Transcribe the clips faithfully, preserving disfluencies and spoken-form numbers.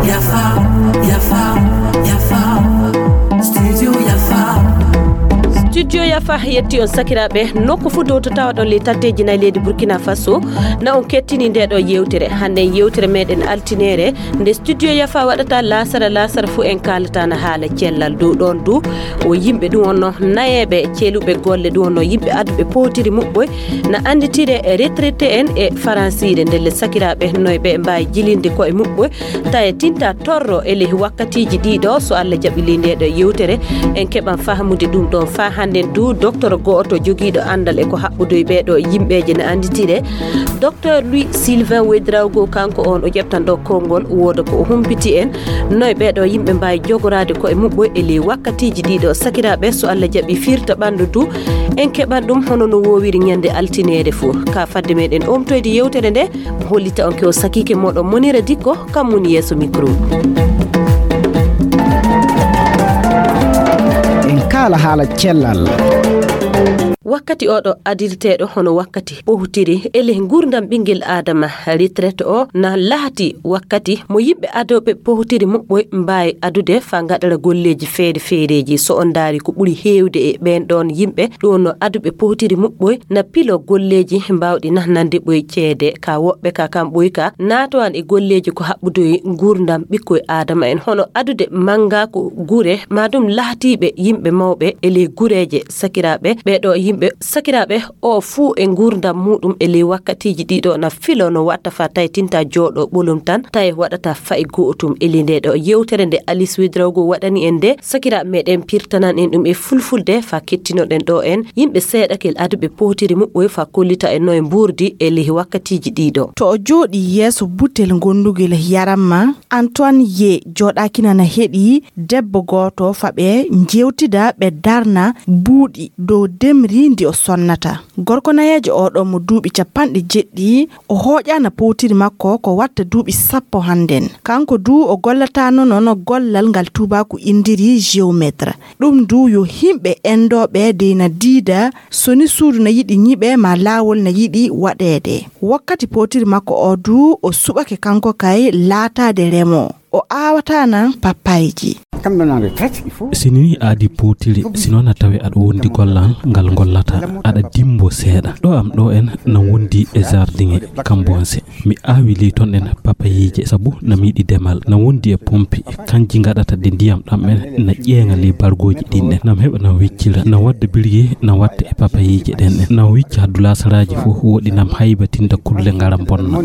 Yafa, yafa, yafa. Studio yafa. Studio yafa yetti on sakiraaɓe, nokku fuu dow to tawaɗon ley tatteeji nayi leydi Burkina Faso. Na on kettini nde ɗo yewtere. Hannde yewtere meɗen altineere, nde studio yafa waɗata laasara laasara fuu en kaalata na haala cellal dow ɗon du. O yimɓe ɗum wonno nayeeɓe celuɓe golle ɗum wonno yimɓe aduɓe powtiri muɓɓoy na annditire e retraité en e faransiire ndelle sakiraaɓe noy ɓe mbaawi jilinde koye muɓɓoy taye tinta torro e ley wakkatiiji ɗiɗo so Allah jaɓi ley nde ɗo yewtere en keɓan fahmude ɗum ɗon fa hannden du docteur go'oto jogiiɗo anndal e ko haɓɓudoy ɓeeɗo yimɓeeje na annditire docteur Louis Sylvain Ouédraogo kanko on o ƴeftan ɗo konngol wooda ko o humpiti en noy ɓeeɗo yimɓe mbaawi jogoraade koye muɓɓoy e ley wakkatiiji ɗiɗo sakiraaɓe so Allah jaɓi firta ɓanndu du en keɓan ɗum hono no woowiri ñande altineere fuu ka fadde meɗen omtoyde yewtere nde hollita on ke o sakiike moɗon Monira Dikko kam woni yeeso micro. En kaala haala cellal. Wakkati oɗo adirteeɗo hono wakkati ɓohtiri ele nguurndam ɓinngel aadama retraite o na lahati wakkati mo yimɓe adooɓe ɓohtiri muɓɓoy mbaawi adude faa ngaɗara golleeji feere feereeji so on ndaari ko ɓuri heewde e ɓeen ɗoon yimɓe ɗum no aduɓe powtiri muɓɓoy na pilo golleeji mbaawɗi nahnande ɓoy ceede ka woɓɓe ka kam ɓoy ka naatowan e golleeji ko haɓɓudoyi nguurndam ɓikkoy aadama en hono adude manngaaku gure maa ɗum lahtiiɓe yimɓe mawɓe e ley gureeje sakiraaɓe ɓeeɗo yimɓe sakiraaɓe o fuu e nguurndam muuɗum e ley wakkatiiji ɗiɗo na filo no watta fa tawi tinta jooɗo ɓolum tan tawi waɗata fayi go'otum e ley nde ɗo yewtere nde Alice Ouédraogo waɗani en nde sakiraaɓe meɗen pirtanan en ɗum e fulfulde fa kettinoɗen ɗo en yimɓe seeɗa kel aduɓe powtiri muɓɓoy fa kollita en no e mbuurdi e ley wakkatiiji ɗiɗo. To o jooɗii yeeso butel ngondugel yaram ma, Antoine Ye jooɗaaki nana heɗii debbo gooto fa ɓe njeewtida ɓe darna buuɗi dow demri ndi o sonnata. Gorko nayeejo oo ɗoo mo duuɓi capanɗe jeɗɗi, o hooƴaana powtiri makko ko watta duuɓi sappo hannden. Kanko duu o gollataano noon gollal ngal tuubaaku inndiri géomètre. Ɗum duu yo himɓe enndooɓe dey na diida so ni suudu na yiɗi ñiɓe maa laawol na yiɗi waɗeede. Wakkati powtiri makko oo duu o suɓake kanko kay laataade remoo. O aawataana papayji. Si ni a adii powtiri, si noon a tawi aɗa wondi gollal ngal ngollata, aɗa dimbo seeɗa. Ɗo am ɗo en na wondi e jardin e kambonse. Mi aawi ley ton ɗen papayiije sabu na mi yiɗi demal. Na wondi e pompi, kanji ngaɗata de ndiyam ɗam en na ƴeeŋa ley bargooji ɗin ɗen. Nam heɓa nam wiccira, na wadda birgi, na watta e papayiije ɗen ɗen. Na wicca haddu laasaraaji fof woɗi nam haybatinta kulle ngara bonna.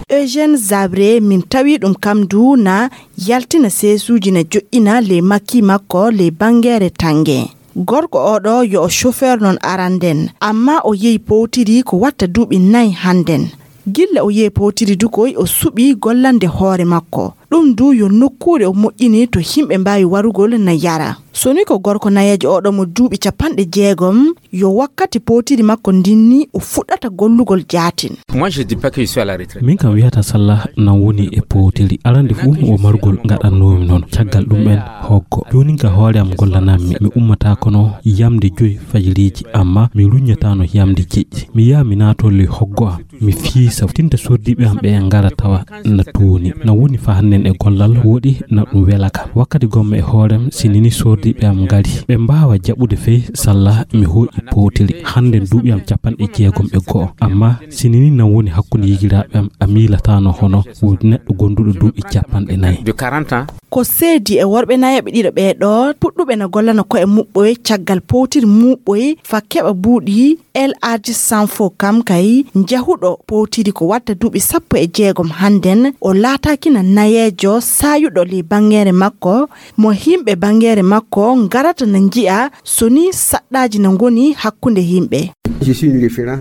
Eugène Zabré, min tawi ɗum kam du na yaltina seesuuji na joƴƴina ley makki makko ley banngeere tannge. Gorko oo ɗoo yo o chauffeur non aranden, amma o yehi powtiri ko watta duuɓi nay hannden. Gilla o yehi powtiri du koy o suɓii gollande hoore makko. Ɗum du yo nokkuure o moƴƴini to himɓe mbaawi warugol na yara. So ni ko gorko nayeejo oo ɗoo mo duuɓi capanɗe jeegom, yo wakkati powtiri makko ndin ni o fuɗɗata gollugol jaatin. Moi, je dis pas que je suis à la retraite. Min kam wiyata salla nan woni e powtiri. Arande fuu o margol ngaɗannoomi noon. Caggal ɗum en hoggo. Joonin ka hoore am gollanammi. Mi ummata kono yamde joyi fajiriiji, amma mi ruññataano yamde jeɗɗi. Mi yaha mi naatoo ley hoggo am. Mi fiisa tinta sordiiɓe am ɓe ngara tawa na tooni. Na woni fa hannden e gollal woɗi na ɗum wela kam. Wakkati gomma e hoorem si nini sordiiɓe am ngari. Ɓe mbaawa jaɓude fey salla mi hooƴi powtiri. Hannden duuɓi am capanɗe jeegom e go'o. Amma si nini na woni hakkunde yigiraaɓe am a miilataano hono wo neɗɗo gonduɗo duuɓi capanɗe nayi. De quarante ans. Ko seedi e worɓe nayeeɓe ɗiɗo ɓee ɗoo puɗɗuɓe na gollana ko'e muɓɓoye caggal powtiri muɓɓoye fa keɓa buuɗi El Hadj Sanfo kam kay njahuɗo powtiri ko watta duuɓi sappo e jeegom hannden o laataakina nayeejo saayuɗo ley banngeere makko mo himɓe banngeere makko ngarata na nji'a so ni saɗɗaaji na ngoni hakkunde yimɓe.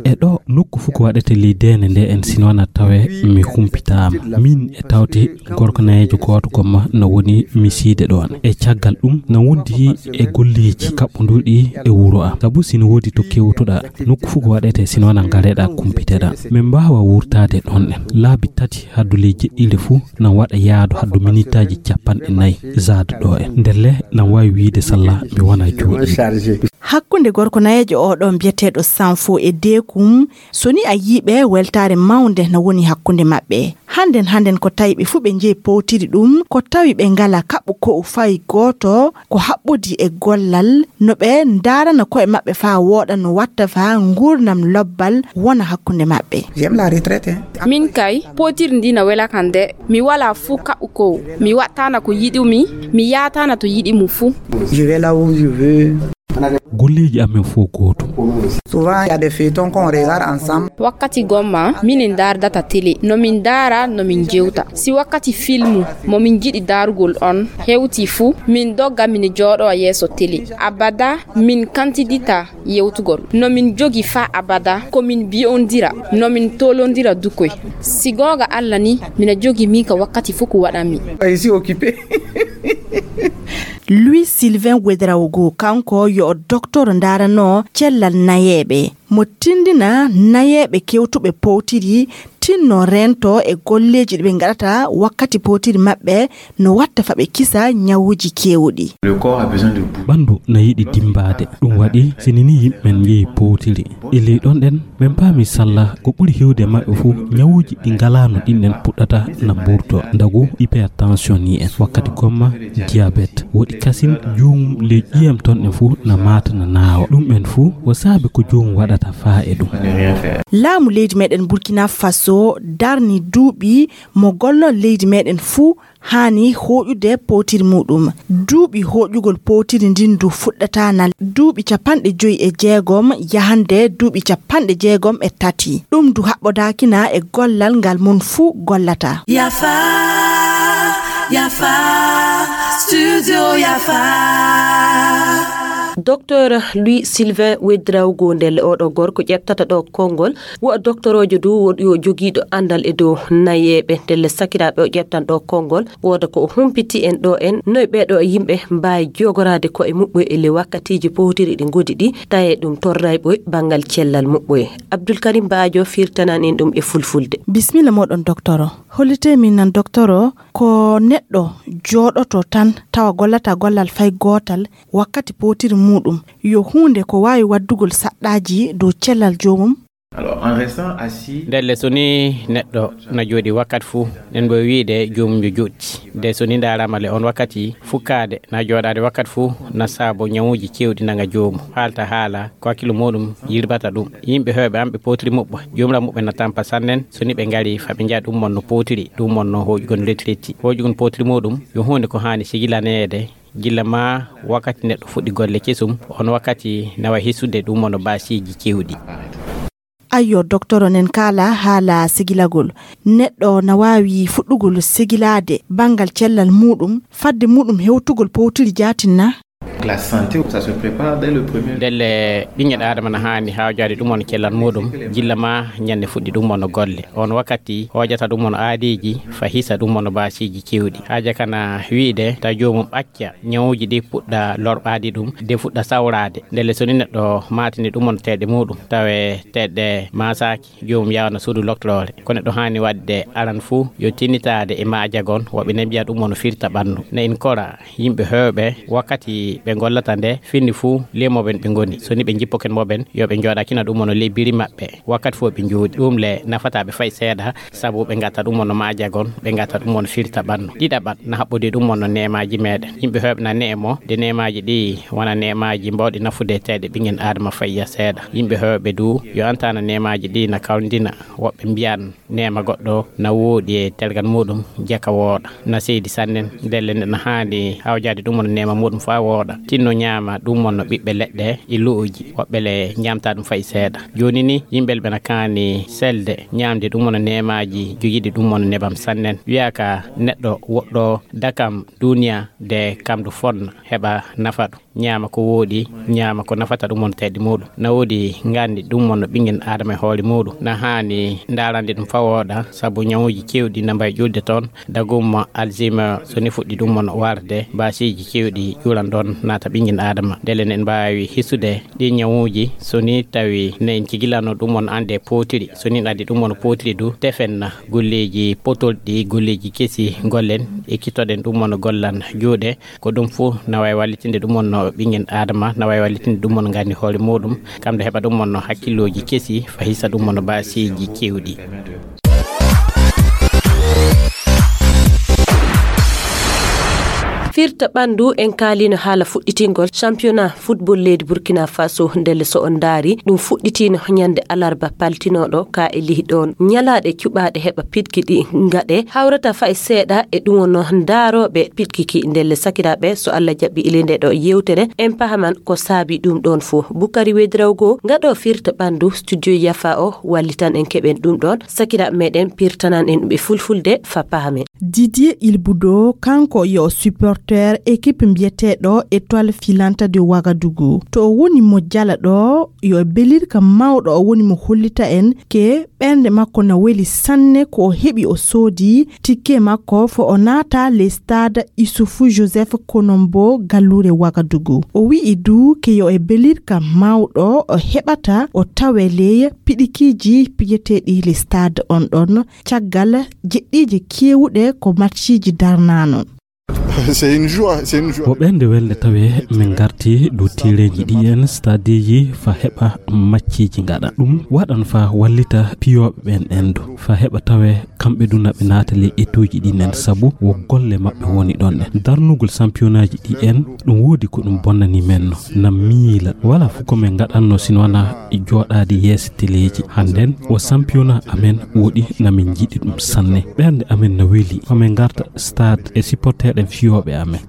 E ɗo nokku fuu ko waɗete ley deene nde en sino na tawe mi humpitaama min e tawte gorko nayeejo gooto gomma na woni misiide ɗoon. E caggal ɗum na wondi e golleeji kaɓɓonduɗi e wuro am. Sabu sino woodi to kewtoɗaa, nokku fuu ko waɗete sino na ngareɗaa kumpiteɗaa. Min mbaawa wurtaade ɗoon en. Laabi tati haddu ley jeɗɗiire fuu na waɗa yaadu haddu minitaaji capanɗe nayi zaade ɗo en. Ndelle na waawi wiyde salla mi wona jooɗiiɗo. Hakkunde gorko nayeejo oo ɗoo mbiyeteeɗo Stanfo e Deekum, so ni a yii ɓe, weltaare mawnde na woni hakkunde maɓɓe. Hannden, hannden ko tawi ɓe fuu ɓe njeyi powtiri ɗum, ko tawi ɓe ngala kaɓu ko'u fay gooto, ko haɓɓodi e gollal, no ɓe ndaarana ko'e maɓɓe faa wooɗa no watta faa nguurndam lobbal wona hakkunde maɓɓe. J'aime la retraite, hein. Min kay, powtiri ndi na wela kam de. Mi walaa fuu kaɓu ko'u. Mi waɗtaana ko yiɗumi, mi yaataana to yiɗi mu fuu. Je vais là où je veux. Golleeji amen fof gootum. Souvent, il y a des feuilletons qu'on regarde ensemble. Wakkati gomma, minin ndaardata télé. No min ndaara, no min jewta. Si wakkati filmu, mo min jiɗi daarugol on, hewti fuu, min dogga min jooɗo yeeso télé. Abada, min kantidita yewtugol. No min jogi faa abada, ko min biyondira, no min tolondira dukoy. Si goonga Alla ni, mina jogi min ka wakkati fuu ko waɗanmi. Je suis occupé. Louis Sylvain Ouedraogo, kanko yo o docteur ndaarano cellal nayeeɓe. Mo tindina nayeeɓe kewtuɓe powtiri, tinno reento e golleeji ɗi ɓe ngaɗata wakkati powtiri maɓɓe, no watta fa ɓe kisa ñawuuji keewɗi. Le corps a besoin de boue. Ɓanndu na yiɗi dimmbaade. Ɗum waɗi, si ni ni yimɓe men njehi powtiri. E ley ɗon ɗen, men paami salla ko ɓuri heewde e maɓɓe fof ñawuuji ɗi ngalaano ɗin ɗen puɗɗata na mburto. Ndagu hypertension ni en, wakkati gomma diabète. Woɗi kasin joomum ley ƴiyam ton ɗen fof na maata na naawa. Ɗum en fof ko saabi ko joomum waɗata faa e ɗum. Laamu leydi meɗen Burkina Faso darni duuɓi mo gollol leydi meɗen fof haani hooƴude powtiri muɗum. Duuɓi hooƴugol powtiri ndin du fuɗɗata na duuɓi capanɗe joyi e jeegom yahande duuɓi capanɗe jeegom e tati. Ɗum du haɓɓodaakina e gollal ngal mon fuu gollata. Yafa, yafa, studio yafa. Docteur Louis Sylvain Ouedraogo, ndelle oɗo gorko ƴettata ɗo konngol, wo doktoroojo du, wo yo jogiiɗo anndal e dow nayeeɓe. Ndelle sakiraaɓe o ƴettan ɗo konngol, wooda ko o humpiti en ɗo en, noy ɓeeɗo yimɓe mbaawi jogoraade ko'e muɓɓoy e ley wakkatiiji powtiri ɗi ngodi ɗi, tawee ɗum torrayɓoy banngal cellal muɓɓoy. Abdul Karim Baajo firtanan en ɗum e fulfulde. Bismilla moɗon, doktoro. Hollitee min nan, doktoro, ko neɗɗo jooɗoto tan tawa gollata gollal fay gootal wakkati powtiri muɗum, yo huunde ko waawi waddugol saɗɗaaji dow cellal joomum? Alors, en restant assis. Ndelle so ni neɗɗo na jooɗi wakkati fuu, nen mbo wiide joomum yo jooɗti. De so ni ndaarama le on wakkati fukkaade na jooɗaade wakkati fuu na saabo ñawuuji keewɗi nanga joomum. Haalta haala ko hakkilo muɗum yirbata ɗum. Yimɓe heewɓe an ɓe powtiri muɓɓo, joomira muɓɓe na tampa sannen so ni ɓe ngari fa ɓe njiya ɗum mon no powtiri, ɗum mon no hooƴugol retraite. Hooƴugol powtiri muɗum yo huunde ko haani sigilaneede gilla ma wakkati neɗɗo fuɗɗi golle kesum, on wakkati nawa hisude ɗum on baasiiji keewɗi. Ayyo, doktoro, nen kaala haala sigilagol. Neɗɗo na waawi fuɗɗugol sigilaade banngal cellal muɗum, fadde muɗum hewtugol powtiri jaatin na? La santé, ça se prépare dès le premier. Ndelle ɓinngel Aadama na haani hawjaade ɗum on cellal muɗum, gilla ma ñande fuɗɗi ɗum on golle. On wakkati hoojata ɗum on aadiiji, fa hisa ɗum on baasiiji keewɗi. Haaja kana wiide ta joomum ɓacca ñawuuji ɗi puɗɗa lorɓaade ɗum, de fuɗɗa sawraade. Ndelle so ni neɗɗo maatini ɗum on teeɗe muɗum, tawe teeɗe maasaaki, joomum yawana suudu lokloore. Ko neɗɗo haani waɗde aran fuu, yo tinnitaade e maajagon, woɓɓe ne mbiya ɗum on firta ɓanndu. Ne in kora yimɓe heewɓe, wakkati ɓe gollata nde, finni fuu, ley moɓen ɓe ngoni. So ni ɓe jippoken moɓen, yo ɓe njooɗakina ɗum on ley biri maɓɓe. Wakkati fof ɓe njooɗi. Ɗum le nafataa ɓe fay seeɗa, sabu ɓe ngata ɗum on maajagon, ɓe ngata ɗum on firta ɓanndu. Ɗiɗaɓat na haɓɓodi ɗum on neemaaji meɗen. Yimɓe heewɓe na neemo, de neemaaji ɗi wona neemaaji mbawɗi nafude teeɗe ɓinngel Aadama fay ya seeɗa. Yimɓe heewɓe du, yo antana neemaaji ɗi na kawndina. Woɓɓe mbiyan neema goɗɗo na wooɗi e tergal muɗum, jaka wooɗa. Na seydi sannen, ndelle nde na haani hawjaade ɗum on neema muɗum faa wooɗa. Tinno ñaama ɗum on ɓiɓɓe leɗɗe e lu'uji, woɓɓe le ñaamta ɗum fay seeɗa. Jooni ni, yimɓe ɓe na kaani selde, ñaamde ɗum on neemaaji, jogiiɗi ɗum on nebam sannen. Wiya ka neɗɗo woɗɗo dakam duniya de kam du fonna, heɓa nafa ɗum. Ñaama ko wooɗi, ñaama ko nafata ɗum on teeɗe muɗum. Na woodi nganndi ɗum on no ɓinngel Aadama e hoore muɗum. Na haani ndaarande ɗum faa wooɗa, sabu ñawuuji keewɗi na mbayi ƴulde toon. Dagum Alzheimer, so ni fuɗɗi ɗum on warde, baasiiji keewɗi ƴulan ɗoon. naata ɓinngel Aadama. Ndele en mbaawi hisude ɗi ñawuuji, so ni tawi ne en cigilano ɗum on annde pootiri. So ni addi ɗum on pootiri du, tefen golleeji potolɗi, golleeji kesi gollen, ekkitoɗen ɗum on gollan juuɗe. Ko ɗum fof na waawi wallitinde ɗum on no ɓinngel Aadama, na waawi wallitinde ɗum on nganndi hoore muɗum, kam nde heɓa ɗum on no hakkillooji kesi, fa hisa ɗum on no baasiiji keewɗi. Firta ɓanndu, en kaalino haala fuɗɗitingol championnat football leydi Burkina Faso. Ndelle so on ndaari, ɗum fuɗɗitino ñande alarba paltinooɗo ka e lihi ɗoon. Ñalaaɗe cuɓaaɗe heɓa pidki ɗi ngaɗe hawrata fay seeɗa e ɗum wonno ndaarooɓe pidki ki. Ndelle sakiraaɓe, so Allah jaɓi ile nde ɗo yewtere, en pahaman ko saabi ɗum ɗoon fof. Bukari Wedrawgo, ngaɗo firta ɓanndu, studio Yafa o, wallitan en keɓen ɗum ɗoon. Sakiraaɓe meɗen pirtanan en ɓe fulfulde fa pahamen. Didier Ilbudo, kanko yo supporter équipe mbiyeteeɗo Étoile Filante de Ouagadougou. To o woni mo jala ɗo, yo e belirka mawɗo o woni mo hollita en ke ɓernde makko na weli sanne ko o heɓi o soodi tikke makko fo o naata le stade Issoufou Joseph Konombo galluure Ouagadougou. O wi'i du ke yo e belirka mawɗo o heɓata o tawe ley piɗikiiji piyeteeɗi le stade on ɗon caggal jeɗɗiije keewuɗe ko matchiiji darnaano. C'est une joie, c'est une joie. Ko ɓernde welde tawe min ngarti dow tereeji ɗi en stadeji fa heɓa macceeji ngaɗa. Ɗum waɗan fa wallita piyooɓe ɓen en du. Fa heɓa tawe kamɓe du na ɓe naata ley etuuji ɗi nen sabu wo golle maɓɓe woni ɗon ɗen. Darnugol sampiyonaaji ɗi en ɗum woodi ko ɗum bonnani men no. Na miila. Wala fu ko min ngaɗanno sino wana jooɗaade yeeso teleeji. Hannden, o sampiyona amen woɗi na min njiɗi ɗum sanne. Ɓernde amen na weli. Ko min ngarta stade e supporterɗen fiyooɓe amen.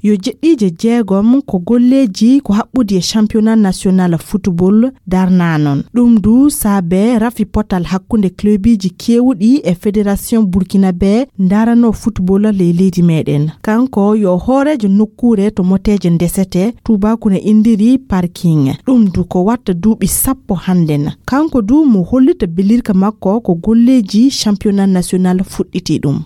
Yo jeɗɗiije jeegom ko golleeji ko haɓɓudi e championnat national football darnaa non. Ɗum du saabe rafi potal hakkunde clubiji keewuɗi e fédération burkinabe ndaranoo football ley leydi meɗen. Kanko yo hooreejo nokkuure to moteeje ndesete, tuubaaku ne indiri parking. Ɗum du ko watta duuɓi sappo hannden. Kanko du mo hollita belirka makko ko golleeji championnat national fuɗɗiti ɗum.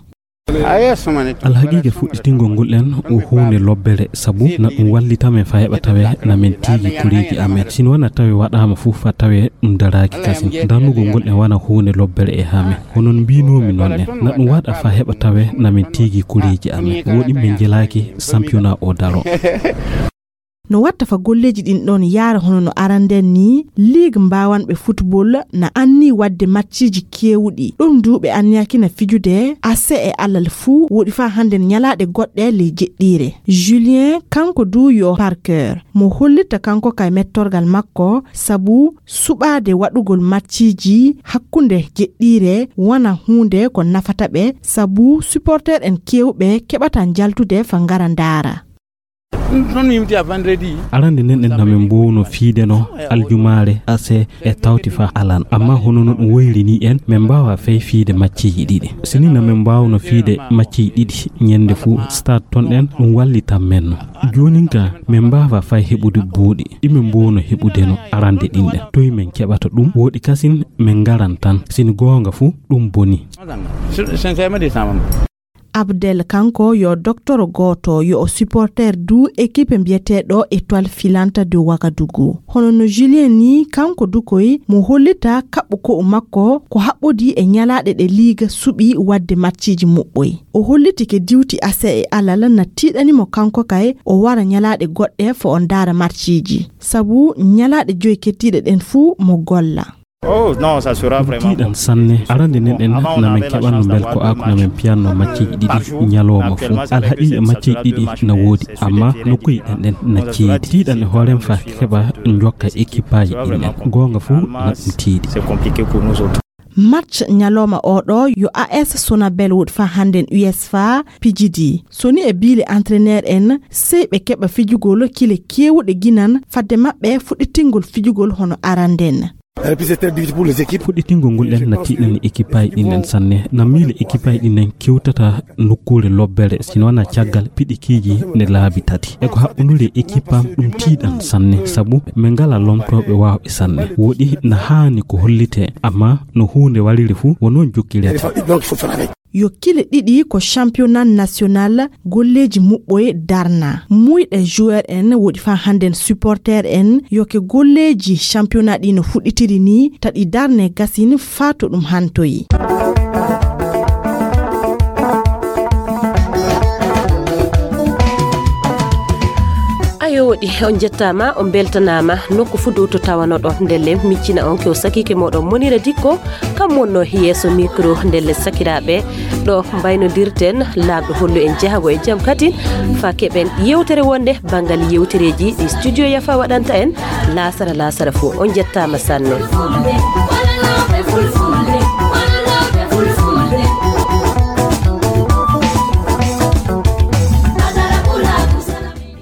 Alhaqiiqa fuɗɗitingol ngol en o huunde lobbere sabu na ɗum wallita men fa heɓa tawe na min tiigi kureeji amen. Sino wana tawe waɗaama fof fa tawe ɗum daraaki kasin. Darnugol ngol en wana huunde lobbere e haa men. Hono no mbiinoomi noon en, na ɗum waɗa fa heɓa tawe na min tiigi kureeji amen. Woɗi min njelaaki sampiyona o daro. No watta fa golleeji ɗin ɗon yaara hono no aranden ni, ligue mbaawanɓe football na anni waɗde matchiji keewuɗi. Ɗum du ɓe anniyaki na fijude ase e alal fuu, woɗi faa hannden ñalaaɗe goɗɗe ley jeɗɗiire. Julien, kanko du yo parkeur, mo hollita kanko kay mettorgal makko, sabu suɓaade waɗugol matchiji hakkunde jeɗɗiire wona huunde ko nafata ɓe, sabu supporter en keewɓe keɓata njaltude fa ngara ndaara. Arande nden en na min mbowno fiide no aljumaare ase e tawti fa alan. Amma hono no ɗum woyri ni en, min mbaawa fay fiide macceeji ɗiɗi. Sini na min mbaawno fiide macceeji ɗiɗi ñande fuu stade ton ɗen, ɗum wallitan men no. Joonin ka min mbaawa fay heɓude buuɗi ɗi min mbowno heɓude no arande ɗin ɗen. Toy min keɓata ɗum? Woɗi kasin min ngaran tan. Sini goonga fuu ɗum boni. Abdel kanko yo doktoro gooto, yo o supporter du équipe mbiyeteeɗo Étoile Filante de Ouagadougou. Hono no Julien ni, kanko du koy mo hollita kaɓɓu ko'u makko ko haɓɓodi e ñalaaɗe ɗe liiga suɓi waɗde matchiji muɓɓoy. O holliti ke diwti ase e alal na tiiɗani mo kanko kay o wara ñalaaɗe goɗɗe fo o ndaara matchiji. Sabu ñalaaɗe joy kettiiɗe ɗen fuu mo golla. Ɗum tiiɗan sanne. Arande nden en na min keɓanno mbel ko ako na min piyanno macceeji ɗiɗi ñalooma fuu. Alhaqiiqa macceeji ɗiɗi na woodi, amma nokkuuji ɗen ɗen na ceedi. Tiiɗan e hoorem fa keɓa njokka ekippaaji ɗin ɗen. Goonga fuu na ɗum tiiɗi. Match ñalooma oɗo yo A S Sonabel woɗi fa hannden U S F A pijidi. So ni e biile entraîneur en, sey ɓe keɓa fijugol kile keewuɗe ginan fadde maɓɓe fuɗɗitingol fijugol hono aranden. Fuɗɗitingol ngol en na tiiɗani équipe aji ɗin en sanne. Na miile équipe aji ɗin en kewtata nokkuure lobbere, sino na caggal piɗikiiji ne laabi tati. E ko haɓɓundude équipe am ɗum tiiɗan sanne, sabu min ngala lomtooɓe waawɓe sanne. Woɗi na haani ko hollite, amma no huunde wariri fuu, wo noon jokkirete. yo kile ɗiɗi ko championnat national golleeji muɓɓoye darna. Muyɗe joueur en woɗi faa hannden supporter en yo ke golleeji championnat ɗi no fuɗɗitiri ni, taɗi darne gasin faa to ɗum hantoyi. Ayo woɗi, on njettaama, on mbeltanaama, nokku fuu dow to tawanoɗon. Ndelle miccina on ke o sakiike mooɗon Monira Dikko, kam wonno yeeso micro. Ndelle sakiraaɓe, ɗo mbaynodirten, Laamɗo hollu en jahago e jam katin, faa keɓen yewtere wonde banngal yewtereeji ɗi studio Yafa waɗanta en laasara laasara fuu. On njettaama sanne.